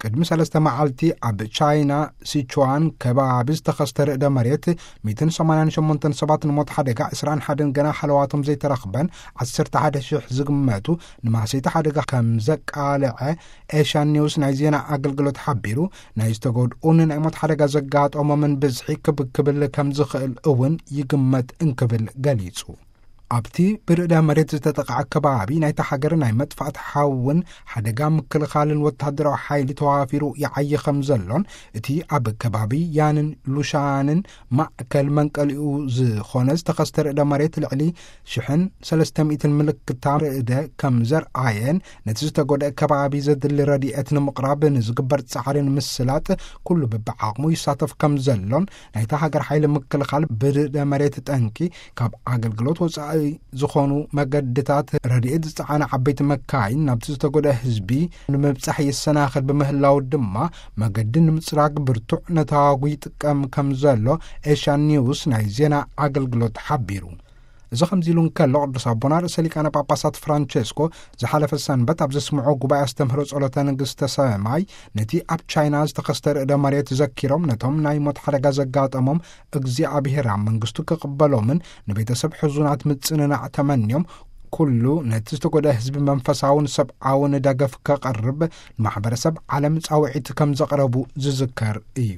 ቅድሚ ሰለስተ መዓልቲ ኣብ ቻይና ሲቹዋን ከባቢ ዝተኸስተ ርእደ መሬት፣ ሚእትን ሰማንያን ሸሞንተን ሰባት ንሞት ሓደጋ፣ ዕስራን ሓደን ገና ሃለዋቶም ዘይተረኽበን፣ ዓሰርተ ሓደ ሽሕ ዝግመቱ ንማህሰይቲ ሓደጋ ከም ዘቃልዐ ኤሽያን ኒውስ ናይ ዜና ኣገልግሎት ሓቢሩ፣ ናይ ዝተጎድኡን ናይ ሞት ሓደጋ ዘጋጠሞምን ብዝሒ ክብ ክብል ከም ዝኽእል እውን ይግመት እንክብል ገሊጹ። ኣብቲ ብርእደ መሬት ዝተጠቕዐ ከባቢ ናይታ ሃገር ናይ መጥፋእቲ ሓውን ሓደጋ ምክልኻልን ወተሃደራዊ ሓይሊ ተዋፊሩ ይዓዪ ከም ዘሎን፣ እቲ ኣብ ከባቢ ያንን ሉሻንን ማእከል መንቀሊኡ ዝኾነ ዝተኸስተ ርእደ መሬት ልዕሊ ሽሕን ሰለስተ ሚእትን ምልክታ ርእደ ከም ዘርኣየን፣ ነቲ ዝተጎድአ ከባቢ ዘድሊ ረድኤት ንምቕራብ ንዝግበር ጻዕሪ ንምስላጥ ኩሉ ብብዓቕሙ ይሳተፍ ከም ዘሎን ናይታ ሃገር ሓይሊ ምክልኻል ብርእደ መሬት ጠንቂ ካብ ኣገልግሎት ወጻኢ ዝኾኑ መገድታት ረድኤት ዝጸዓና ዓበይቲ መካይን ናብቲ ዝተጎድአ ህዝቢ ንምብጻሕ ይሰናኸል ብምህላው ድማ፣ መገዲ ንምጽራግ ብርቱዕ ነታጒ ይጥቀም ከም ዘሎ ኤሽያን ኒውስ ናይ ዜና ኣገልግሎት ሓቢሩ። እዚ ከምዚ ኢሉ እንከሎ፣ ቅዱስ ኣቦና ርእሰ ሊቃነ ጳጳሳት ፍራንቸስኮ ዝሓለፈ ሰንበት ኣብ ዘስምዖ ጉባኤ ኣስተምህሮ ጸሎተ ንግስተ ሰማይ፣ ነቲ ኣብ ቻይና ዝተኸስተ ርእደ መሬት ዘኪሮም፣ ነቶም ናይ ሞት ሓደጋ ዘጋጠሞም እግዚኣብሔር ኣብ መንግስቱ ክቕበሎምን ንቤተሰብ ሕዙናት ምጽንናዕ ተመንዮም፣ ኩሉ ነቲ ዝተጎድአ ህዝቢ መንፈሳውን ሰብኣውን ደገፍ ከቐርብ ንማሕበረሰብ ዓለም ጻውዒት ከም ዘቕረቡ ዝዝከር እዩ።